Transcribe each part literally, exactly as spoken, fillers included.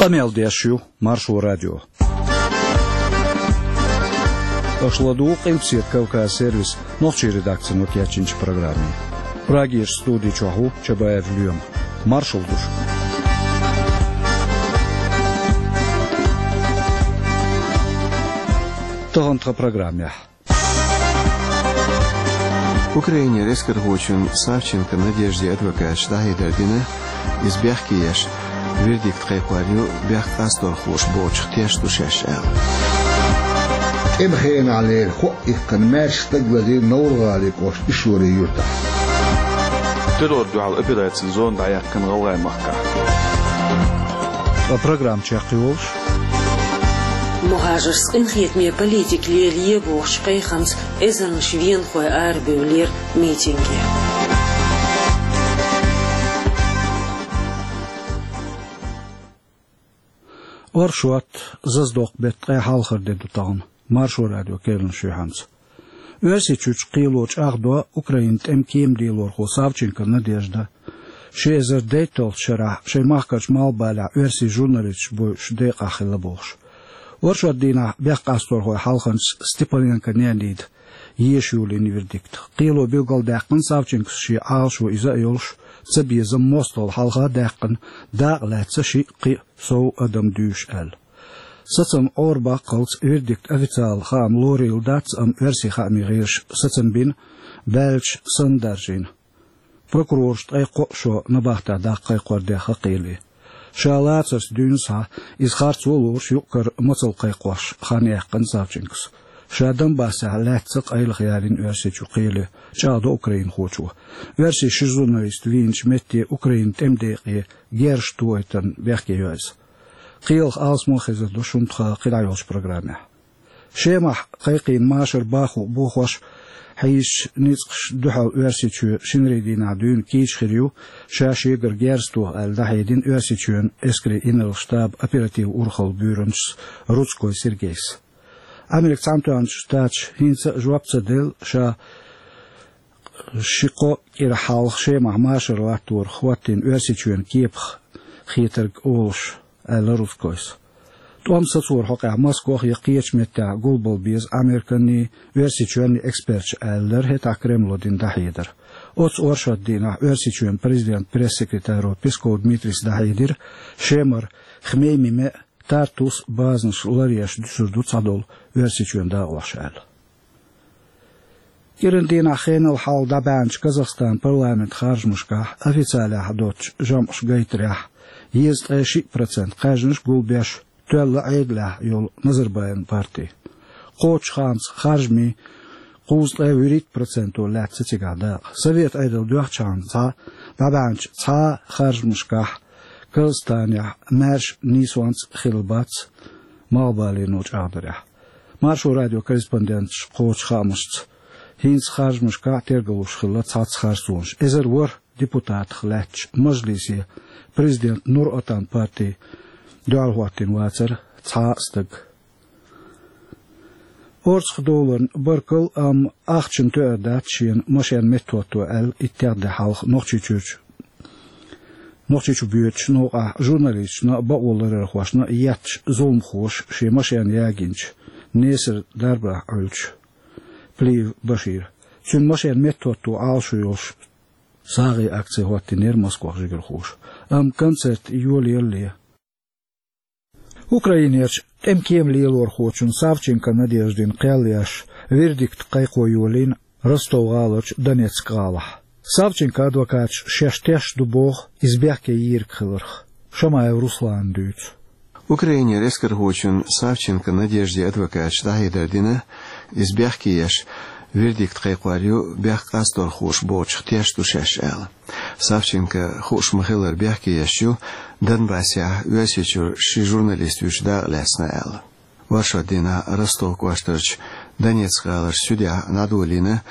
Къамел деш ю Маршо радио. Аша ладугӀу Къилбаседа Кавказ сервисан нохчийн редакцино кечйинчу программе. Прагерчу студи чохь ву Чабаев Лоьма. Маршалла ду шуьга. Тахана тхан программехь. Украинера эскархочун Савченко Надеждин адвокаташа дӀахьедар дина, иза бехке еш, вердикт кхайкхор ю бехк къасторхоша бохучух тешна ду шаьш аьлла. ТӀеман хенахь лерина хӀоъ иккхина маьрша стаг лазийра Новр-гӀалин кӀоштан Ишори-Юьртахь. Террорна дуьхьал операцин зона дӀаяьккхина ГӀалгӀай махкахь. Ткъа программа чекхйолуш. МухӀажаршца къинхетаме политика лелае бохучу кхайкхамца эзарнаш венахой арабевллера митинге. Оршот, зазадоккху беттан ткъе хьалхара де ду тахана, Маршо радион керланаш юьхьанца. Оьрсийчуьрчу кхело чӀагӀдо Украинан тӀеман кема лелорхо Савченко Надежда, ши эзар дейтталгӀачу шарахь шайн махкарчу Малхбалехь оьрсийн журналисташ бойуш декъахь хилла бохуш. Оршот дийнахь бехк къасторхойн хьалханчас Степаненко Неонида еша йолийна вердикт. Кхело билгалдаьккхина, Савченкос шен Ӏалашо иза а йолуш, цабезам мостагӀалла хьалха а даьккхина, дакъа лаьцна шиъ-кхиъ сов адам дуьйш аьлла. Сацам Ӏорабаккхалц вердикт официалан хаам лорийла дац, амма оьрсийн хаамийн гӀирсаша сацам бина, баьлча санна даржийна. Прокурорша ткъе кхоъ шо набахтехь даккха кхайкхор дехна кхеле. Ша лацарца дуьйна схьа, иза харцо а лоруш, юкъ-кара мацалла кхайкхош хан яьккхина Савченкос. Ша Донбассехь лаьцна къайлаха ялийна Оьрсийчу кхеле, чӀагӀдо украинхочо. Оьрсийн ши журналист вийначу метте Украинан тӀеман декъе герзаш тухийтарна бехке йо иза. Кхелах алсам а хезар ду шуна тхан кхидӀа йолчу программехь. Шемахь кхайкхийна машар баху бохош, хьийзачу ницкъаша дуьхьал Оьрсийчоь шинарин дийнахь дуьйна кийча хир ю, ша шегара герз тоха аьлла дӀахьедина Оьрсийчоьнан эскарийн инарла штабан оперативан урхаллан буьйранчас Рудской Сергейс. Америкин Цхьаьнатоьхначу Штаташа хӀинца а жоп ца делла, ша ши-кхо кӀира хьалха Шемахь машар латторах хӀоттийна Оьрсийчоьнан кепах хетарг олуш, аьлла Рудскойс. ТӀом сацоран хьокъехь Москох я кхечу меттехь гулбала беза Американний, Оьрсийчоьнний эксперташ, аьллера хӀетахь Кремло дина дӀахьедар. Оццу оршот дийнахь Оьрсийчоьнан президентан пресс-секретаро Песков Дмитрийс дӀахьедира, Шемара Хмеймиме а, Тартусе а базанаш ларъеш дуьсур ду цхьадолу Оьрсийчоьнан дакъош аьлла. КӀиран дийнахь хенал хьалха дӀабаьхьначу Казахстанан парламентан харжамашкахь официалехь доцучу жамӀаша гайтарехь, езткъе шиъ процент кхаьжнаш гулбеш тоьлла Ӏедалехь йолу Назарбаевн парти. Кхоччуш хаамца харжамийн кхузткъе вуьрхӀитта проценто лаьцна цигахь дакъа. Совет Ӏедал доьхначхьана цхьа дӀабаьхьначу цхьа а харжамашкахь Казахстанехь маьрша нийсонца хилла бац, Малхбалено чӀагӀдарехь. Маршо радион корреспонденташа кхочу хаамашца, хӀинца харжамашкахь тергалуш хилла цхьацца харцонаш. Эзар ворхӀ депутатах лаьттачу Мажлисе президентан Нур-Отан партин дуьхьал хӀоттийна вацара цхьа а стаг. Орцах доларна баркалла, амма ахчана тоьар дац шена машен меттахӀотто аьлла, итт де хьалха Нохчийчуьрчу Нохчийчу боьдучу новкъахь журналисташна а, бакъо ларархошна а етташ зуламхоша шен машен ягийначу Несар дарбанехь Ӏуьллучу Плиев Башира. Цуьнан машен меттахӀотто Ӏалашо йолуш сагӀина акци хӀоттийнера Москвахь жигархоша. Амма концерт йолаеллале. Украинерчу тӀеман кема лелорхочун Савченко Надеждин кхел еш, вердикт кхайкхо йолийна Ростов-гӀаларчу Донецк-гӀалахь. Савченкон адвокаташа шаьш тешна ду боху иза бехке йийриг хиларх. Шамаев Руслана дуьйцу. Украинера эскархочун Савченко Надеждин адвокаташа дӀахьедар дина, иза бехке еш, вердикт кхайкхор ю бехк къасторхоша бохучух тешна ду шаьш аьлла. Савченко, хууш ма-хиллара, бехке еш ю Донбассехь Оьрсийчуьра ши журналист вуьйчу дакъа лаьцна аьлла. Оршот дийнахь Ростов кӀоштарчу Донецк-гӀаларчу суьдехь дӀадолийна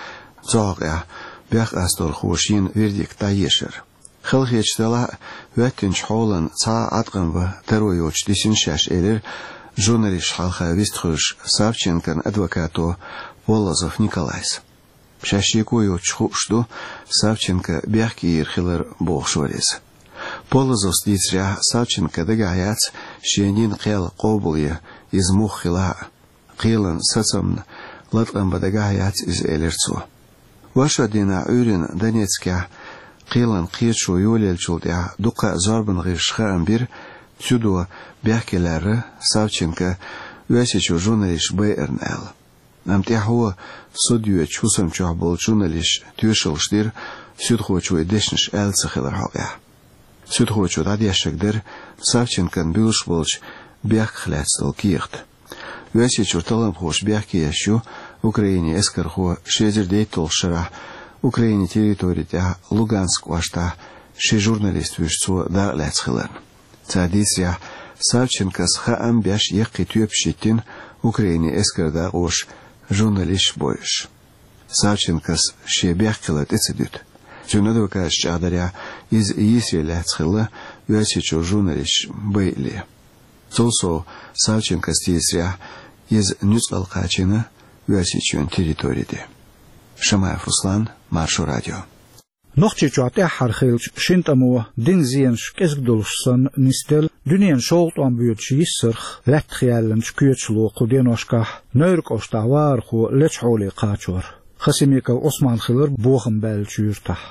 цу хьокъехь бехк къасторхоша йина вердикт дӀаешар. Халахеташ делахь а, хӀоьттинчу хьолан цхьа а Ӏаткъам бан таро йоцуш дисина шаьш, элира журналисташна хьалха вистхуьлуш Савченкон адвокато Полозов Николайс. Шаьш шеко йоцуш хууш ду Савченко бехке йийр хилар, бохуш вара иза. Полозовс дийцарехь, Савченко дагахь яц Шен йина кхел къобалъе, иза муха хилла а. Кхелан сацамна латкъам бан дагахь яц иза, элира цо. Вайшин дийнахь Ӏуьйранна Донецкехь кхелан кхеташо йолаеллачул тӀаьхьа дуккха а зорбанан гӀирсаша хаам бира, цу дийнахь бехке лаьрра Савченко Оьрсийчуьра журналисташ байарна аьлла. Амма тӀаьхьо суд йоьдучу хӀусам чохь болчу журналисташа тоьшаллаш дира, суьдхочо и дешнаш аьлла ца хиларан хьокъехь. Суьдхочо дӀадешнарг дара Савченкона буьллуш болчу бехках лаьцна долу кехат. Оьрсийчуьра талламхоша бехке еш ю Украинин эскархо ши эзар дейтталгӀачу шарахь Украинин территори тӀехь Луганск кӀоштахь ши журналист вуьйш цо дакъа лаьцна хиларна. Цара дийцарехь, Савченкос хаам беш яккхий тоьпаш йиттина Украинин эскаран дакъоша журналисташ бойуш. Савченкос шен бехк хилар тӀе ца дуьту. Цуьнан адвокаташа чӀагӀдарехь, иза йийсаре лаьцна хилла Оьрсийчуьра журналисташ байале. Цул сов, Савченкос дийцарехь, иза нуьцкъала кхачийна Оьрсийчоьнан территори тӀе. Шамаев Руслан, Маршо радио. Нохчийчохь тӀаьххьара хиллачу шина тӀамо дина зенаш кӀезиг долуш санна нисделла дуьненан шолгӀа тӀом боьдуш йиссарх лаьттах яьллачу коьчало кху деношкахь Невран кӀоштахь вахархо лечу хьоле кхачор. Хасимиков Ӏусман хилира бохам баьллачу юьртахь.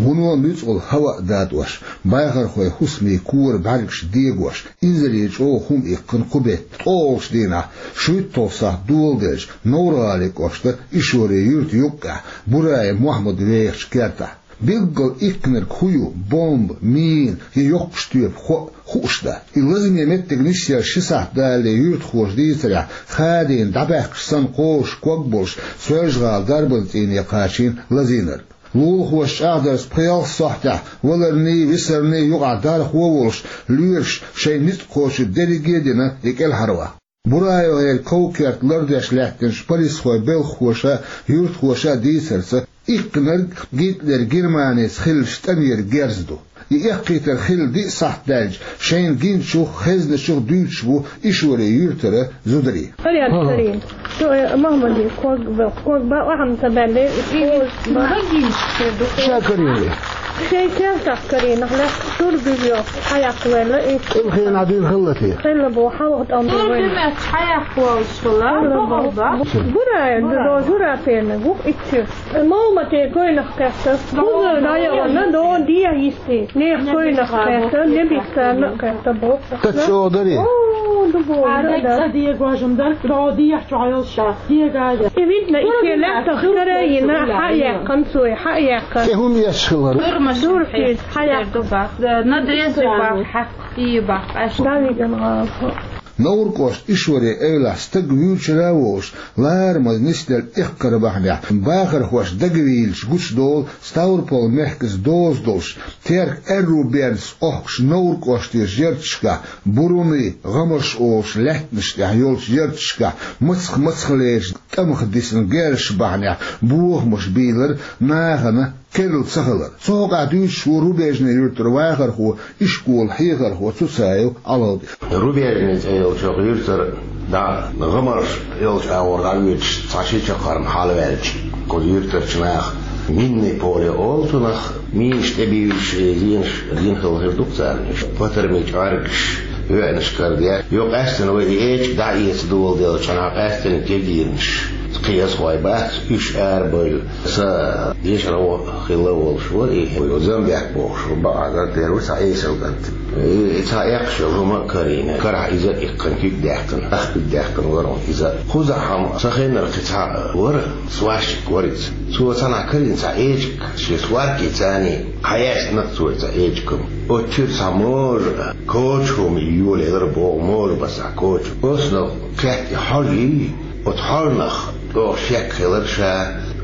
Вуно нуьцкъала хӀаваъ датӀош, бахархойн хӀусамийн кора бӀаьргаш дегош, инзаре чӀогӀа хӀума иккхина кху беттан ткъолгӀачу дийнахь, шуьйтталгӀа сахьт доладелча, Невран-ГӀалин кӀоштан Ишори юьртан юккъехь Бураев Мохьмад вехачу кертахь. Билггал иккхинарг хӀун ю, бомба, мина я йоккхачу тоьпан хоӀ, хууш дац. И лазаме меттиг нисъелла ши сахьт далале, юьртахоша дийцарехь, хадийна дӀабаьхкачу санна кхозуш ког болуш, Соьлжа-ГӀалин дарбан цӀийне кхачийна лазийнарг. Лулахоша чӀагӀдарца, пхи-ялх сахьтехь валарний, висарний юкъахь дархо а волуш, лоьраш шайн ницкъ кхочург дерриге а дина и кӀелхьарваха. БураевгӀеран ков-керт лардеш лаьттинчу полисхойн белхахоша а, юьртахоша а дийцарца, иккхинарг Гитлеран Германица хиллачу тӀамера герз ду. И эккхийтар хилла диъ сахьт даьлча, шайна гиначух, хезначух дуьйцуш бу Ишори юьртара зударий. Порядок, Карин. Что, э, Махмади, ког бел, ког ба, ахьа ца баьлле, и ког ба. Ша, Карин. Шайн кертахь, Карин, нах лаьцна шура буьжу, хьаяккха ваьлла и. Илхена дийна хилла те? Хилла бу, хьалха тӀом бу вайн. Шура буьмеш хьаяккха волуш хилла, Хилла бу. Бухал ба. Бурай, Бурай. До жура пена, гух иччи. Мамате койнах кхетта. Кузар дайа ванна, до дия йисти. Нех койнах кхетта, небиссарна кхетта бу. Та чо дари? О, ду бу, Ада да. Кадия гожум дар, до дия чо йолша. Дия гая. И видно, и селя тахтара йина, хьаяккхан цой, хьаяккхан. Э, хӀун еш хилар? Дурмаш. Дур хир, хьаяккхан. Ду бах. На дрезы бах, хьакъ, и бах, аш. Да, видно, а. Невран кӀоштан Ишори эвлахь стаг вуьйцура а волуш, ларамаза нисделла эккхар бахьанехь, бахархоша дагавийлачу гучудолу Ставрополь мехкаца доза долуш, Теркан аьрру бердаца охкуш Невран кӀоштан ярташкахь, Буруни, ГӀамарш олуш лаьттанаш тӀехь йолчу ярташкахь, мацах-мацахлерчу тӀамах дисина герзаш бахьанехь бохамаш бийлар, нахана керла ца хилар. Цу хьокъехь дуьйцуш ву Рубежный юьртара вахархо, ишколан хьехархо Цуцаев Ӏалавди. Рубежный цӀе йолчу юьртара дӀа, ГӀамарш йолчу агӀор дӀавоьдуш, цхьа ши чаккхарма хьалаваьлча, кху юьртарчу наха минное поле олу цунах, минаш тӀебуьйлуш, зенаш дина хилла хир ду-кх царна уьш. Патармийн чӀоьргаш, веанаш карадеш. Йо, къаьстина вай и эчиг дӀа а эца доладелча, нах къаьстина кегийнаш. Кхин аса хой бац, уьш арабевлла. Сан дешархо хилла волуш вара и, Замбек бохуш, бакъ гӀарт дера ву, цхьа эсала кӀант. И, и цхьа эккхаш йолу хӀума а карийна. Карахь иза а иккхина, куьг даьккхина, ах куьг даьккхина вара иза. Кхузахь-м сан хеннара кхин цхьаъ вара, сварщик вара иза. Цо цхьанхьа карийна цхьа эчиг, шен сваркин царний хьаяьстина цо и цхьа эчиг-м. Оцу чуьра цхьа можа, коча хӀума йолаелира боху, можа бан цхьа коча. Оцунах кхетта и хьожа йий, оцу хьожанах чӀогӀа шек хилира ша,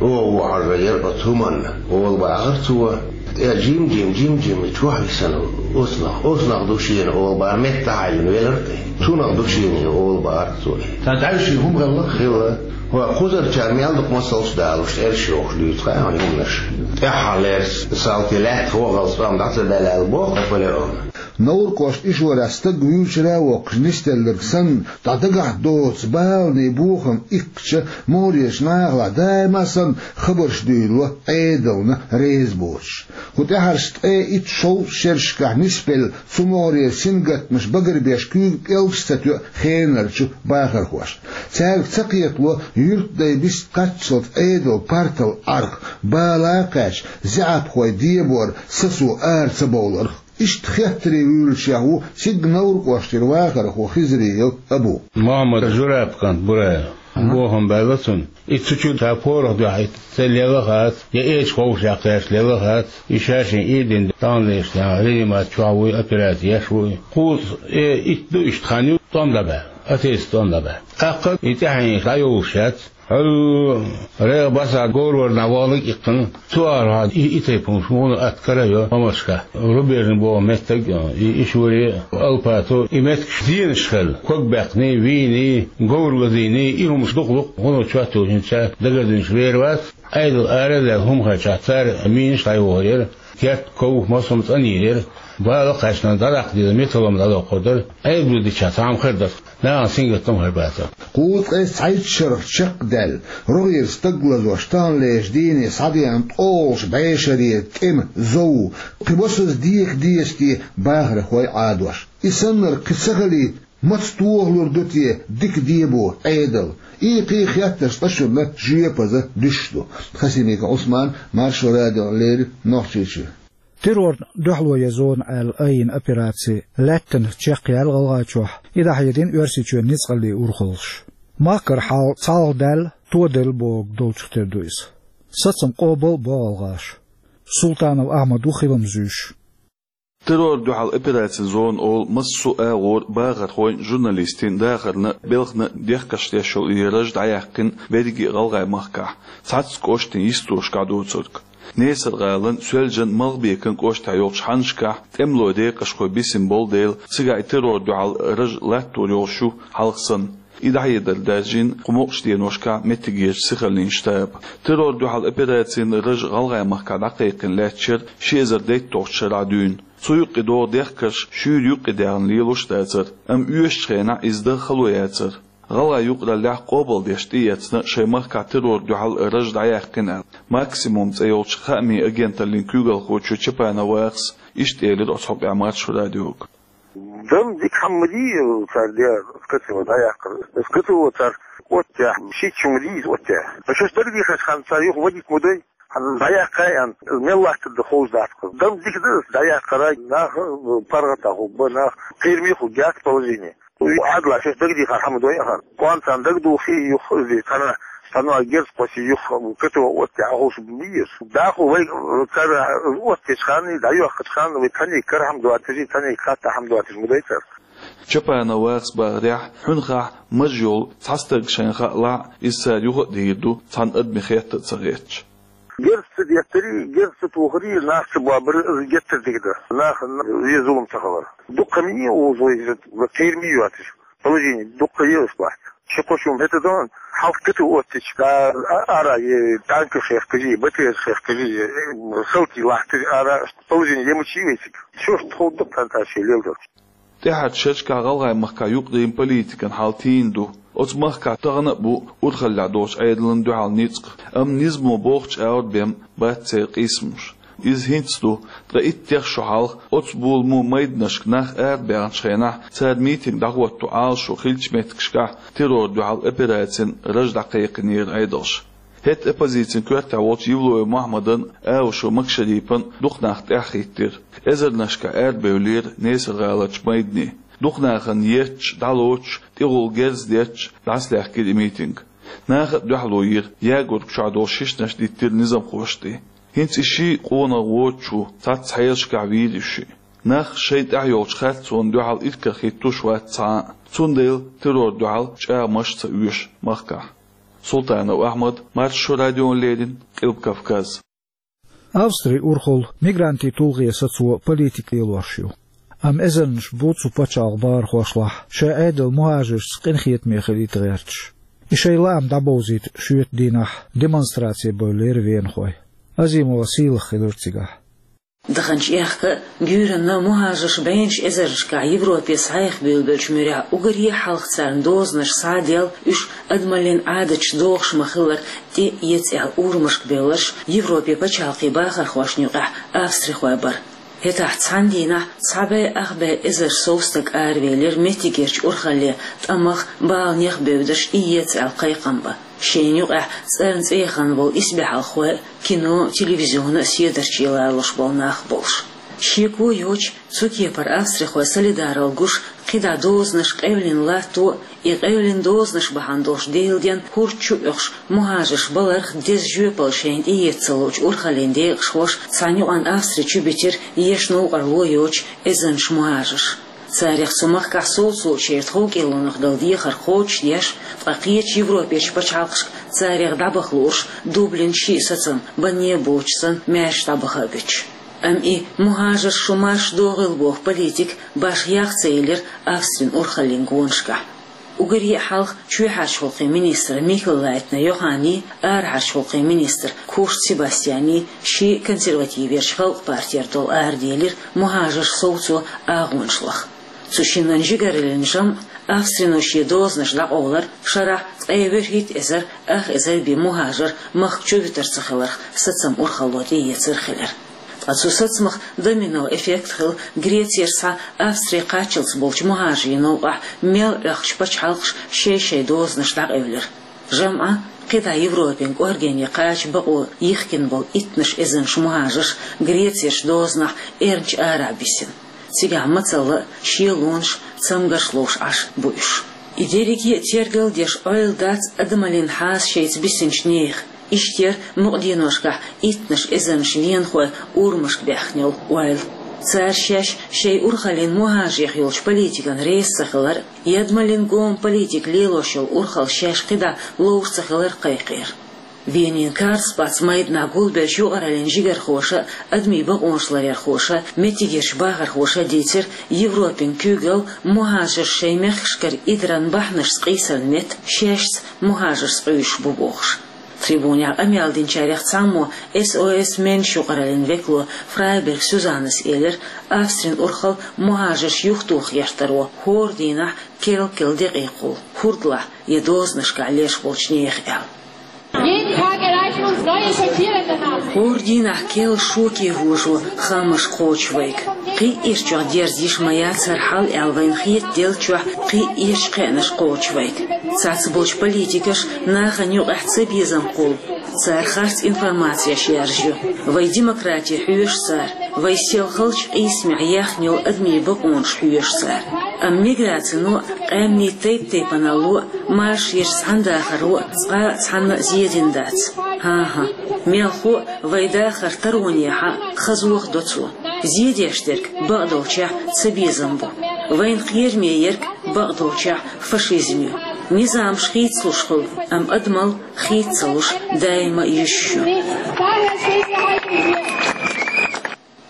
оха ву хьожа яра оцу хӀуманна, олу бахара цо. ТӀе жим-жим, жим-жим чохь висина оцунах, оцунах ду шена олу бахара, метта хьаьжжина велира тӀе. Цунах ду шена олу бахара цо. Сан дайши хӀума хилла? Хилла. ХӀой, кхузарчара мел дукха масалш далуш, цӀераш йохуш дуьйцу хьайн хӀуманаш. ТӀаьххьара лерса, салти лаьтта хӀогӀал цӀом дӀа ца даьлла боху Наполеона. Новр-кӀоштан Ишорехь стаг вуьйцуш а воккхуш нисделларг санна, дӀа дагахь доцу баланийн бохам иккхача, могӀарерчу нахалахь даима а санна хабарш дуьйлало Ӏедална реза боцуш. ХӀу тӀаьхьарчу ткъе итт-шовзткъа шерашкахь нисбелла цу могӀарера сингаттамаш багарбеш куьйга пӀелгаш ца тоьу хенарчу бахархошна. Цаьрга ца кхетало юьртдай бист кхаччалц Ӏедал партал Ӏарх, бала а кхаьчна, заьӀапхой дебор сацо ара ца бовларх. Иштта хеттаре вуьйлучех ву цига Новр-кӀоштера вахархо Хизриев Абу. Мохьмад Жураб кӀант Бураев. Бохам баьлла цунна. И цу чу ша порах дуьхьа ца лела хац, я эча ховшехь кхаьчча лела хац, и ша шен ийдина тӀамлеш, я реанимаци чохь вуй, операци еш вуй. Кхузткъе итт ду иштта хан ю тӀом дӀабаьлла, атеца тӀом дӀабаьлла. ТӀаккха и тӀаьхьенаш дӀайолуш яц. Хьо, регӀ басахь говр варна вахалла иккхина, цу арахь и, и тайпа хӀумаш муха атта карайо хӀумашка. Рубежный боху меттиг, и, Ишури, Алпату, и меттигаш зенаш хилла. Ког баьккхиний, вийний, говр лазийний, и хӀумаш дукха-дукха хӀуно чот йолчуьнца дагардинчу вер вац. Ӏедал ара а лаьлла хӀума хилчахь, цара минаш дӀайохур яра, керт, ков, массо а цӀанйийр яра, бала кхаьчна дӀадаккха деза металлом дӀадоккхур дара, Ӏедало дичахь цхьа хӀума хир дара, нахана сингаттам хир бацара. Кхузткъе цхьайтта шарах чекхдаьлла, рогӀера стаг лазош таханлерчу дийне схьадеана ткъолгӀачу бӀешарера тӀеман зов, кхин масаза деха деза те бахархой Ӏадош. И саннарг кхин ца хилийта, маца тохалур ду те дика дебо Ӏедал? И кхин хеттарш цкъачунна жоьпаза дуьсуш ду. Хасимиков Ӏусман, Маршо радиона леррина, Нохчийчоь. Террорна дуьхьало ян зона аьлла айина операци лаьттана чекхъяьлла ГӀалгӀайчохь, и дӀахьедина Оьрсийчоьнан ницкъаллийн урхаллаша. Махкара хьал цхьалха даьлла, тоделла бохург долчух тера ду иза. Сацам къобал а бо гӀалгӀаша. Султанов Ахьмад ву хилам зуьйш. Террор дуьхьал операцин зона олу массо а агӀор бахархойн, журналистийн дахарна, белхана дехкаш деш йолу и раж дӀаяьккхина берриге а ГӀалгӀай махкахь, цхьацца кӀоштийн йистошкахь доцург. Несар-гӀалан, Соьлжан, Малхбекан кӀоштахь йолчу хьаннашкахь тӀемалойн декъашхой бисина болу дела, цигахь и террор дуьхьал раж латтор йолуш ю хьалха санна. И дӀахьедар даьржина кху мукъачу деношкахь меттигерчу сихаллин штаба. Террор дуьхьал операцин раж ГӀалгӀай махкахь дӀакхайкхина лаьтташ яра ши эзар дейтталгӀачу шарахь дуьйна. Цу юккъе догӀу дехкарш шуьйра юккъе даьхна лелош а дацара, амма оьшучу хенахь иза дан хало яцара. ГӀалгӀайн юкъараллехь къобалдеш тӀеэцна шайн махкахь террор дуьхьал раж дӀаяьккхина аьлла, «Максимум» цӀе йолчу хаамийн агенталлин куьйгалхочо Чапанов Вахас иштта элира оцу хьокъехь Маршо радиога. Дан дика хӀума ма дий цара дехар, СКТО дӀаяккхар. СКТО цара оттаяхь, шийтта хӀума дий иза оттаяхь. Ткъа шаьш дагадехаш хан цара юха вадийта ма дай. Хьан дӀаяккхай аьлла, мел латтар дан ховш дац-кх. Дан дика дан дӀаяккхарай, нах паргӀатахь хӀума, нах кхераме хӀума яц положение. Ӏадала шаьш дагадехар хӀума дой ахьа. Кхунна царна дагадохий юха, иза цхьана, цхьана герз кхосий юха, СКТО оттаяхь ховш бийр. Даху вай цара оттаечу ханна, дӀайоьхкучу ханна вай цхьаьнниг кара хӀума доцуш, цхьаьнниг хатта хӀума доцуш ма дай цара. Чапанов Вахас бахарехь, хьуьнхахь маж йолу цхьа стаг шайна хаалахь, иза цара юха а дийр ду, цхьана адаман хетта а ца хеташ. Герз ца деттарий, герз ца тохарий, нах ца бобарий, иза геттара дика дан. Нахана вен зулам ца хилар. Дуккха ма йий узо иза, кхераме йоцуш. Положение дуккха езаш бац. Ши-кхо шо метадон, хьалха кату оттича, да, а-, ара е танкаш хехкажи, БТР хехкажи, э, салти лахтари ара, положение емачи весиг. Шо тхо дуккха танташи лелдалч. ТӀаьхьарчу шерашкахь ГӀалгӀай махкахь юкъараллин политикан хьал тийна ду. Оцу махкахь тахана а бу урхаллехь долчу Ӏедална дуьхьал ницкъ, амма низамо бохучу агӀор бен бац церан къийсамаш. Иза хӀинца ду, ткъа иттех шо хьалха оцу боламо майданашка нах арабаьхначу хенахь, цара митинг дӀахӀотто Ӏалашо хиллачу меттигашкахь террор дуьхьал операцин раж дӀакхайкхинера Ӏедалша. ХӀетта оппозицин коьртехь волчу Евлоев Мохьмадан, Аушев Макшарипан дукха нах тӀаьхьахӀиттира. Эзарнашкахь арабевллера Несар-гӀаларчу майдане. Дукха нахана етташ, дӀалоцуш, тӀехула герз детташ, дӀасалаьхкира и митинг. Наха а дуьхьало йира, ягорг чохь долу шишнаш диттира низамхошна тӀе. ХӀинца и ши къонах воцучу цхьацца хьелашкахь вийра уьш шиъ. Нах шайна тӀехь йолчу харцонна дуьхьал иракарахӀиттош вац цхьа а, цундела террор дуьхьал чӀагӀамаш а ца оьшу махкахь. Султанов Ахьмад, Маршо радиона леррина, Къилба Кавказ. Австрин урхалла мигрантийн тулгӀе сацо политика лелош ю. Амма эзарнаш бу цу пачхьалкхан бахархошлахь, шайн Ӏедал мухӀажаршца къинхетаме хилийта гӀерташ. И шайн лаам дӀабовзийта шоьтан дийнахь демонстраци бевллера венахой. Азимова Сийлаха хилира цигахь. Даханчу аьхка а, гуьйранна а мухӀажарш бӀеннаш эзарнашкахь Европе схьаэха буьйлабеллачу муьрехь, уггаре а хьалха царна дозанаш схьа а делла, уьш адамаллин Ӏадаташ дохуш ма-хиллара, тӀе а эца аьлла урамашка бевлларш Европе пачхьалкхийн бахархошна юкъахь австрихой бара. ХӀетахь цхьана дийнахь цхьа бӀе ах бӀе эзар сов стаг аравелира меттигерчу урхалле, тӀамах, баланех бевдаш, тӀеэца аьлла кхайкхам бан. Шайна юкъахь цӀарна цӀе яхана болу исбаьхьалхой а, кино а, телевизион а седарчий лоруш болу нах болуш. Шеко йоцуш, цу кепара австрихой солидарал гуш, кхидӀа дозанаш къевлина латто а, и къевлина дозанаш бахьана долуш Делан денна хӀорд чу а оьхуш, мухӀажарш баларх деза жоьпалла шайна тӀеэца ца луучу урхаллин декъашхоша цхьана юкъана Австри чу битира еш новкъарло йоцуш эзарнаш мухӀажарш. Царах цу махкахь совцочеран тховкӀелонах дала дехар кхочушдеш, ткъа кхечу Европерчу пачхьалкхашка царах дӀабаха лууш, Дублин шиъ сацам, банне а боцуш санна, маьрша дӀабаха а буьтуш. Амма и мухӀажарш шу марша догӀийла боху политика башха ях ца елира Австрин урхаллин гонашкахь. Уггаре а хьалха чоьхьарчу гӀуллакхийн министр Микель Лайтнер Йоханний, арахьарчу гӀуллакхийн министр Курц Себастьянний шен консервативерчу Халкъан партера долу араделира мухӀажарш совцо агӀонаш лаха. Цу шиннан жигараллин жамӀ, австрино шен дозанаш дӀакъовлар, шарахь ткъе ворхӀитта эзар ах эзар бен мухӀажар махка чу вуьтур ца хиларх сацам урхалло тӀеэцар хилира. Ткъа цу сацамах домино эффект хилла, Грецера схьа Австри кхаччалц болчу мухӀажарийн новкъахь мел Ӏохкучу пачхьалкхаша шай-шайн дозанаш дӀакъевлира. ЖамӀ, кхидӀа Европин кӀоргене кхача бакъо йихкина болу иттанаш эзарнаш мухӀажарш Грецерчу дозанахь эрначу арахь бисина. Цигахь мацалла а, шелонаш а, цамгарш ловш Ӏаш бу уьш. И дерриге а тергал деш Ӏойла дац адамаллин хьаса шайца бисинчу нехан. Иштта яра мукъа деношкахь иттанаш эзарнаш венахой урамашка баьхкина йолу ойла. Цара шаьш шайн урхаллин мухӀажарех йолчу политикана реза ца хилар а, адамаллин гома политика лелош йолу урхалла шаьш кхидӀа ловр ца хилар а кхайкхийра. Венин Карлсплац майданахь гулбеллачу юкъараллин жигархоша а, адамийн бакъонаш ларъярхоша а, меттигерчу бахархоша а дийцира, Европин куьйгалла мухӀажарш шайн мехкашкара идаран бахьанашца къийсарна метта, шаьшца мухӀажарш къуьйсуш бу бохуш. Трибунехь къамел динчарех цхьаммо, С О С Менш юкъараллин векало Фрайберг Сюзаннас элира, Австрин урхалла мухӀажарш юхатоха гӀертаро хӀора дийнахь керла-керла декъий кхуллу, хӀордалахь я дозанашкахь леш болчу нехан аьлла. Jeden Tag erreichen uns neue schockierende Nachrichten. ХӀора дийнахь керла шоке вожо хаамаш кхочу вайга. Кхин а ирчохь дерза йиш ма яц хӀара хьал аьлла вайна хетаделлачохь, кхин а ирчу кхаьънаш кхочу вайга. Цхьацца болчу политикаша нахана юкъахь цабезам кхуллу. Цара харц информацеш яржа ю. Вай демократи хьоьшу цара, вай селхалчу къийсамехь яьхна йолу адамийн бакъонаш хьоьшу цара. Амма миграцино а, къаьмнийн тайп-тайпаналло а, маршонаш цхьаьна дахаро а цкъа а цхьанна а зен дина дац. ХӀан-хӀа, мелхо а вай дахар таронехьа а, хазох а до цо. Зен деш дерг бакъдолчехь цабезам бу. Вайна кхераме ерг бакъдолчехь фашизм ю. Низамаш хийцалуш хуьлу, амма адамалла хийца ца луш даима а йиш ю.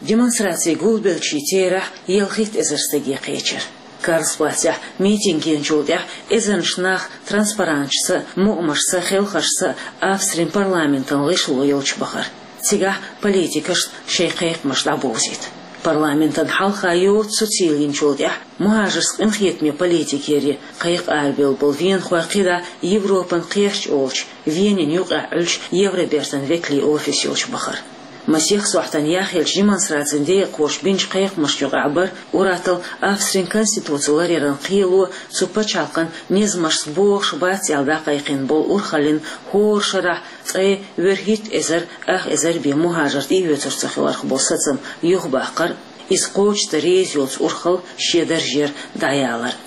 Демонстрацин гулбеллачийн терахь ялхитта эзар стаге кхечира. Карлсплацехь митинг гиначул тӀаьхьа эзарнаш нах транспаранташца а, мукъамашца а, хелхашца а Австрин парламентан гӀишло йолчу бахара. Цигахь политикашна шайн кхайкхамаш дӀабовзийта. Парламентан хьалха йоцу цу цийлинчул тӀаьхьа мухӀажаршца къинхетаме политика яре кхайкха арабевлла болу венахой кхидӀа Европан кхерч олучу, Венин юкъахь Ӏуьллучу Евробертан векалийн офис йолчу бахара. Масех сохьтана яхъеллачу демонстрацин декъахоша бинчу кхайкхамашна юкъахь бара ур-атталла Австрин конституци ларъяран кхело, цу пачхьалкхан низамашца богӀуш бац аьлла дӀакхайкхийна болу урхаллин хӀора шарахь ткъе ворхӀитта эзар ах эзар бен мухӀажар тӀеоьцур ца хиларх болу сацам юхабаккхар а, иза кхочушдан реза йолу урхалла шен даржера дӀаялар а.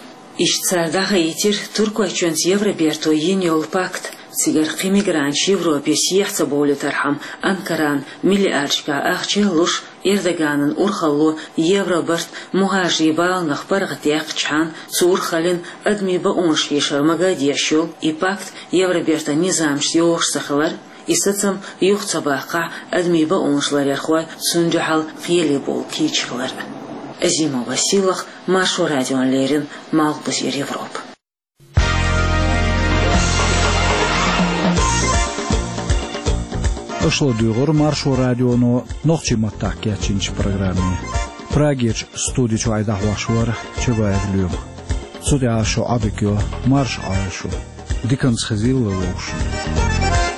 Иштта цара дӀахаийтира Туркойчоьнца Евроберто йина йолу пакт. Цигара кхин мигранташ Европе сехьа ца бовлийтархьама, Анкарана миллиардашкахь ахча а луш, Эрдоганан урхалло Евробарт мухӀажарийн баланах паргӀатдаьккхичхьана, цу урхаллин адамийн бакъонаш хьешар мага а деш йолу и пакт Евробертан низамашца йогӀуш ца хилар, и сацам юха ца баккхахь, адамийн бакъонаш ларъярхой цунна дуьхьал кхеле бовла кийча хилар. Азимова Сийлаха, Маршо радиона леррина, Малхбузера Европа. Аша ладуьйгӀура Маршо радионо нохчийн маттахь кечйинчу программе. Прагерчу студи чохь и дӀахьош вара Чабаев Лоьма. Цу тӀехь ас шух Ӏодика йо, марша Ӏойла шу. Диканца хезийла вай вовшашна.